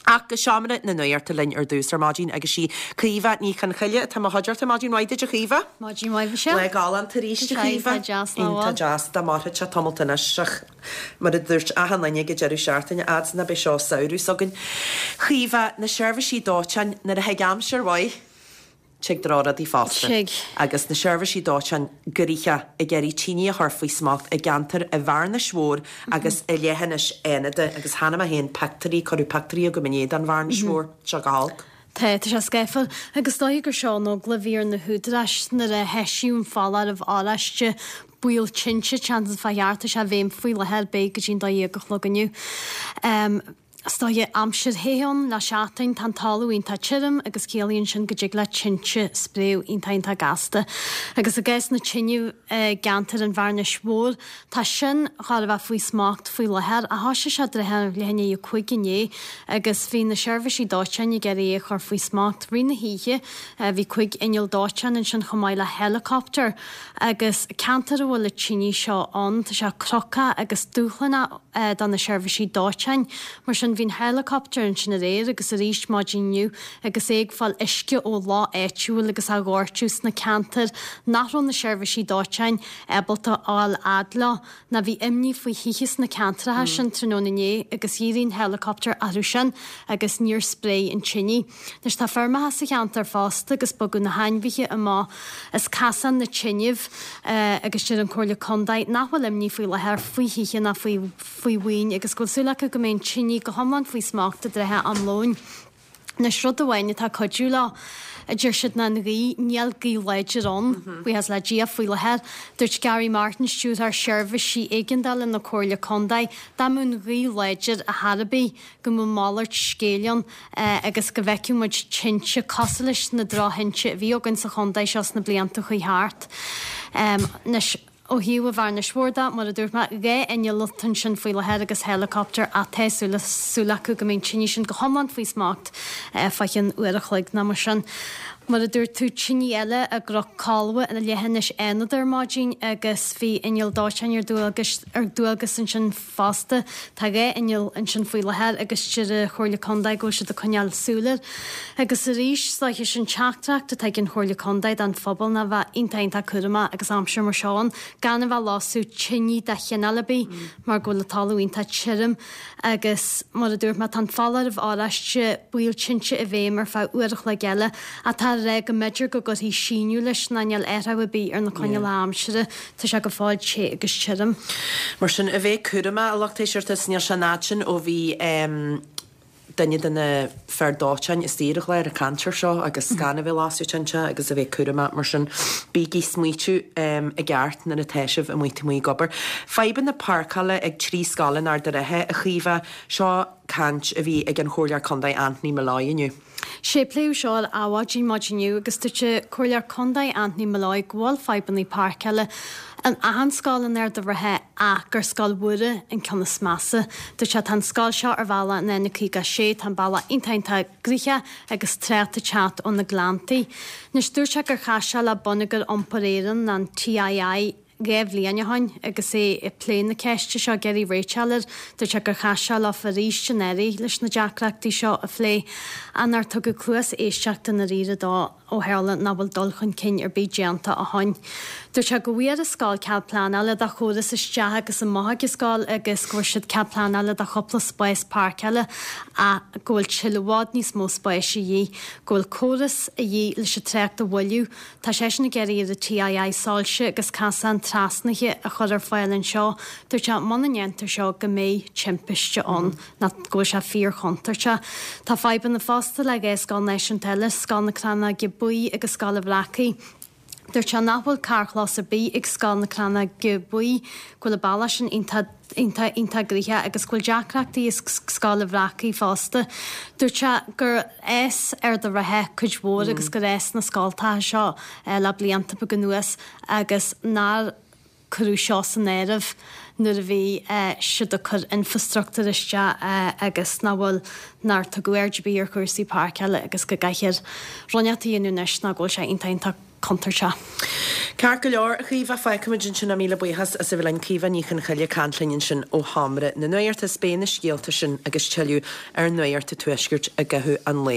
Ach go seomra na nuachta linn ar dtús ar maidin agus sí Caoimhe Ní Chonchoille atá i mo chuideachta. Maidin mhaith duit a Chaoimhe. Maidin mhaith Michelle. Lá galánta arís a Chaoimhe. Tá deas nach bhfuil? Iontach deas. Dá mairfeadh sé tamalt anois ach mar a dúirt achan duine ag an deireadh seachtaine, fhad 's ná beidh seo samhradh s'againn. Chaoimhe, na seirbhísí dóiteáin nuair a thig aimsir mhaith. Tig drochrudaí fosta. Tig. Agus na seirbhísí dóiteáin gnoitheach ag iarraidh tine a chur faoi smacht i gceantar an Bhearnais Mhóir agus i leithinis Fhánada agus chonaic mé féin pictiúirí, cuireadh pictiúirí agam inné den Bhearnais Mhór, tá sé go holc. Tá, tá sé scáfar. Agus is dóiche gur seo an eagla a bhí ar na húdaráis nuair a heisíodh an foláireamh oráiste baol tinte, seans fá cheart, tá sé i bhfeidhm faoi láthair, beidh go dtí an 12 a chlog inniu. Is dóiche, aimsir the ann le seachtain, tá an talamh iontach tirim agus ciallaíonn sin go dtig le tinte spréadh iontach iontach gasta. Agus i gcás na tine i gceantar an Bhearnais Mhóir, tá sin chóir a bheith faoi smacht faoi láthair ach thoisigh sé trátha leath i ndiaidh a 5 inné agus bhí na seirbhísí dóiteáin ag iarraidh é a chur faoi smacht rith na hoíche. Bhí 5 inneall dóiteáin ansin chomh maith le helicopter agus ceantar a bhfuil na tine seo ann, tá sé cnocach agus dúshlánach. do na seirbhísí dóiteáin. Mar sin, bhí an helicopter ansin aréir agus arís maidin inniu agus é ag fáil uisce ó loch áitiúil agus á dhóirteadh sna ceantair nach raibh na seirbhísí dóiteáin ábalta a fháil fhad leo ná bhí imní faoi thithe sna ceantracha sin tráthnóna inné agus dhírigh an helicopter orthu sin agus níor spréigh an tine. Anois tá feirmeacha sa cheantar fosta agus bogadh na hainmhithe amach as casán na tineadh agus deir an Chomhairle Contae nach bhfuil imní faoi láthair faoi thithe ná faoi faoi mhaoin agus go bhfuil súil acu go mbeidh an tine go hiomlán faoi smacht i dtrátha am lóin. Anois rud amháin atá ag cuidiú leo, a deir siad, ná an ghaoth, níl gaoth láidir ann, buíochas le Dia, faoi láthair. Dúirt Gary Martin, Stiúrthóir Seirbhísí Éigeandála na Comhairle Contae, dá mbeadh an ghaoth láidir ar chor ar bith, go mbeadh malairt scéil ann agus go bhfeicfeadh muid tinte cosúil leis na drochthinte a bhí againn sa chontae seo sna blianta a chuaigh thart. Anois, ó thaobh an Bhearnais Mhóir de, mar a dúirt mé, 2 inneall atá ansin faoi láthair agus helicopter ach tá súil súil acu go mbeidh an tine sin go hiomlán faoi smacht fá cheann uair a chloig nó mar sin. Mar a dúirt tú, tine eile i gCnoc Colbha i leithinis Fhánada ar maidin agus bhí inneall dóiteáin ar dualgas ar dualgas ansin fosta. Tá 2 inneall ansin faoi láthair agus deir an Chomhairle Contae go bhfuil siad ag coinneáil súil air. Agus arís, is dóiche sin teachtaireacht atá ag an Chomhairle Contae don phobal ná bheith iontach iontach cúramach agus aimsir mar seo ann, gan a bheith ag lasadh tine de chineál ar bith mar go bhfuil an talamh iontach tirim agus mar a dúirt mé tá an foláireamh oráiste baol tinte i bhfeidhm ar feadh uair a chloig eile ach tá a rá go mb'fhéidir go gcuirfí síneadh leis ná níl athrú ar bith ar na coinníollacha aimsire. Tá sé go fóill te agus tirim. Mar sin, a bheith cúramach, a lucht éisteachta, is níl sé an fhad sin ó bhí duine de na fir dóiteáin istigh ar an chlár ag caint air seo agus gan a bheith ag lasadh tinte agus a bheith cúramach, mar sin bígí ag smaoitiú i gceart nuair atá sibh amuigh taobh amuigh ag obair. Fadhbanna páirceála ag 3 scoil in Ard an Rátha, a Chaoimhe, seo caint a bhí ag an Chomhairleoir Contae Anthony Molloy inniu. Sé pléadh seo ar Adhmhaidin maidin inniu agus dúirt an Comhairleoir Contae Anthony Molloy go bhfuil fadhbanna páirceála in achan scoil in Ard an Rátha ach gur Scoil Mhuire an ceann is measa. Dúirt sé tá an scoil seo ar bhealach an N56, tá an bealach iontach iontach gnoitheach agus trácht ag teacht ó na Gleanntaí. Anois dúirt sé gur chas sé le Bonneagar Iompair Éireann, an TII, 2 bhliain ó shoin agus é ag plé na ceiste seo ag iarraidh réiteach air. Dúirt sé gur chas sé leofa arís anuraidh leis na deacrachtaí seo a phlé ach nár tugadh cluas éisteachta i ndáiríre dó ó tharla nach bhfuil dul chun cinn ar bith déanta ó shoin. Dúirt sé go bhfuair an scoil cead pleanála do chóras isteach agus amach ag an scoil agus go bhfuair siad cead pleanála do chúpla spás páirceála ach go bhfuil tuilleadh i bhfad níos mó spáis a dhíth, go bhfuil córas a dhíth leis an trácht a mhoilliú. Tá seisean ag iarraidh ar an TII soilse agus casáin trasnaithe a chur ar fáil anseo. Dúirt sé muna ndéantar seo go mbeidh timpiste ann nó go bhfuil sé fíor-chontúirteach. Tá fadhbanna fosta le 2 scoil náisiúnta eile, Scoil na Crannóige Buí agus Scoil an Bhreacaigh. Dúirt sé nach bhfuil carrchlós ar bith ag Scoil na Crannóige Buí, go bhfuil an bealach sin iontach iontach iontach gnoitheach agus go bhfuil deacrachtaí i Scoil an Bhreacaigh fosta. Dúirt sé gur fhás Ard an Rátha cuid mhór agus gur fhás na scoltacha seo le blianta beaga anuas agus nár cuireadh seo san áireamh nuair a bhí siad ag cur infrastruchtúr isteach agus nach bhfuil, nár tugadh aird ar bith ar chúrsaí páirceála agus go gcaithfear rud inteacht a dhéanamh anois nó go bhfuil sé iontach iontach. contúirteach. Ceart go leor, a Chaoimhe, fágfaimid ansin é. Míle buíochas as a bheith linn. Caoimhe Ní Chonchoille ag caint linn ansin ó Sheomra na Nuachta. Is beidh na scéalta sin agus tuilleadh ar Nuacht an Tuaiscirt i gcaitheamh an lae.